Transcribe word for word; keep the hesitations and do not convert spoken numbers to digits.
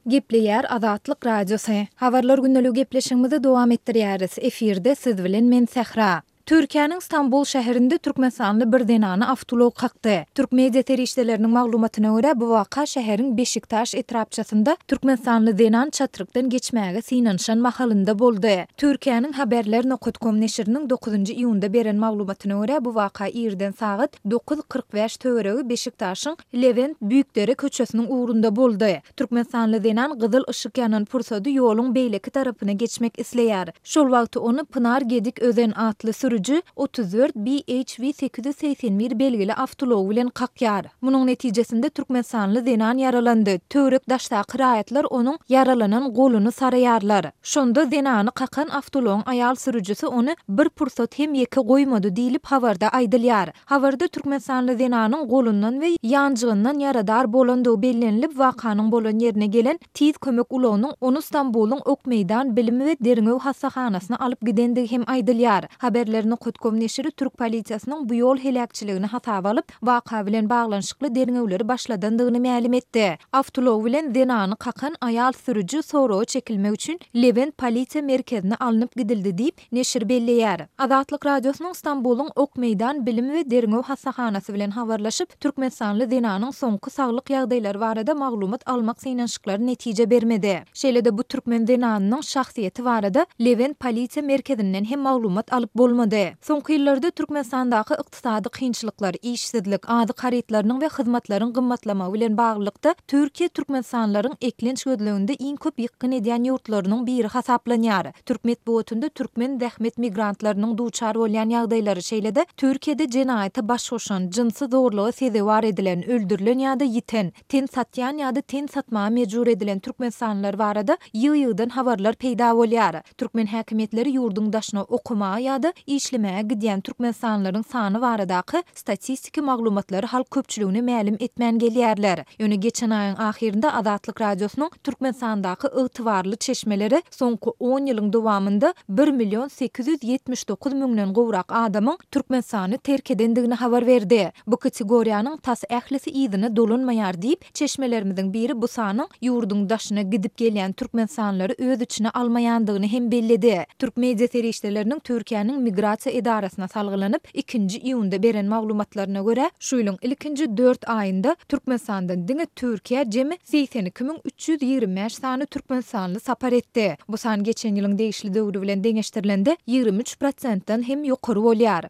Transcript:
Gepleýär Azatlyk Radiosy. Habarlar gündeligi gepleşigimizi dowam etdirýäris. Efirde siz bilen men Sähra. Türkiýäniň Stambul şäherinde türkmenistanly bir zenany awtoulag kakdy. Türk media serişdeleriniň maglumatyna görä, bu waka şäheriň Beşiktaş etrapçasynda türkmenistanly zenan çatrykdan geçmäge synanyşan mahalynda boldy. Türkiýäniň Haberler nokat kom neşiriniň dokuzynjy iýunda beren maglumatyna görä, bu waka irden sagat dokuz kyrk bäş töweregi Beşiktaşyň Lewent Büýükdere köçesiniň ugrunda boldy. Türkmenistanly zenan gyzyl yşyk ýanan pursady ýoluň beýleki tarapyna geçmek isleýär. Şol wagty ony Pynar Gedik Özen atly sürüji otuz dört B H V sekiz ýüz segsen bir belgili awtoulagy bilen kakýar. Munuň netijesinde türkmenistanly zenan ýaralandy. Töwerek-daşdaky raýatlar onuň ýaralanan goluny saraýarlar. Şonda zenany kakan awtoulagyň aýal sürüjisi ony bir pursat hem ýeke goýmady diýlip habarda aýdylýar. Habarda türkmenistanly zenanyň golundan we ýanjygyndan ýaradar bolandygy bellenilip, wakanyň bolan ýerine gelen tiz kömek ulagynyň ony Stambulyň Okmeýdan bilim we derňew hassahanasyna alyp gidendigi hem aýdylýar. Haberler nokat kom neşiri türk polisiýasynyň bu ýol heläkçiligini hasaba alyp, waka bilen baglanyşykly derňewleri başladandygyny mälim etdi. Awtoulag bilen zenany kakan aýal sürüji soraga çekilmek üçin Lewent polisiýa merkezine alnyp gidildi diýip, neşir belleýär. Azatlyk Radiosynyň Stambulyň Okmeýdan bilim we derňew hassahanasy bilen habarlaşyp, türkmenistanly zenanyň soňky saglyk ýagdaýlary barada maglumat almak synanyşyklary netije bermedi. Şeýle-de bu türkmen zenanynyň şahsyýeti barada Lewent polisiýa merkezinden hem maglumat alyp bolmady. Soňky ýyllarda Türkmenistandaky ykdysady kynçylyklar, işsizlik, azyk harytlarynyň we hyzmatlaryň gymmatlamagy bilen baglylykda Türkiýe türkmenistanlylaryň eklenç gözleginde iň köp ýykgyn edýän ýurtlarynyň biri hasaplanýar. Türk metbugatynda türkmen zähmet migrantlarynyň duçar bolýan ýagdaýlary, şeýle-de Türkiýede jenaýata baş goşan, jynsy zorluga sezewar edilen, öldürilen ýa-da ýiten, ten satýan ýa-da ten satmaga mejbur edilen türkmenistanlylar barada ýygy-ýygydan habarlar peýda bolýar. Türkmen häkimiýetleri ýurduň daşyna okamaga ýa-da işlemäge gidýän türkmenistanlylaryň sany baradaky statistiki maglumatlary halk köpçüligine mälim etmän gelýärler. Ýöne geçen aýyň ahyrynda Azatlyk Radiosynyň Türkmenistandaky ygtybarly çeşmeleri soňky on ýylyň dowamynda bir million sekiz ýüz ýetmiş dokuz müňden gowrak adamyň Türkmenistany terk edendigini habar berdi. Bu kategoriýanyň tas ählisi yzyna dolanmaýar diýip, çeşmelerimiziň biri bu sanyň ýurduň daşyna gidip gelýän türkmenistanlylary öz içine almaýandygyny hem belledi. Türk media serişdeleriniň Türkiýäniň migrasiýa edarasyna salgylanyp, ikinji iýunda beren maglumatlaryna görä, şu ýylyň ilkinji dört aýynda Türkmenistandan diňe Türkiýä jemi segsen iki müň üç ýüz ýigrimi bäş sany türkmenistanly sapar etdi. Bu san geçen ýylyň degişli döwri bilen deňeşdirilende ýigrimi üç prosentden hem ýokary bolýar.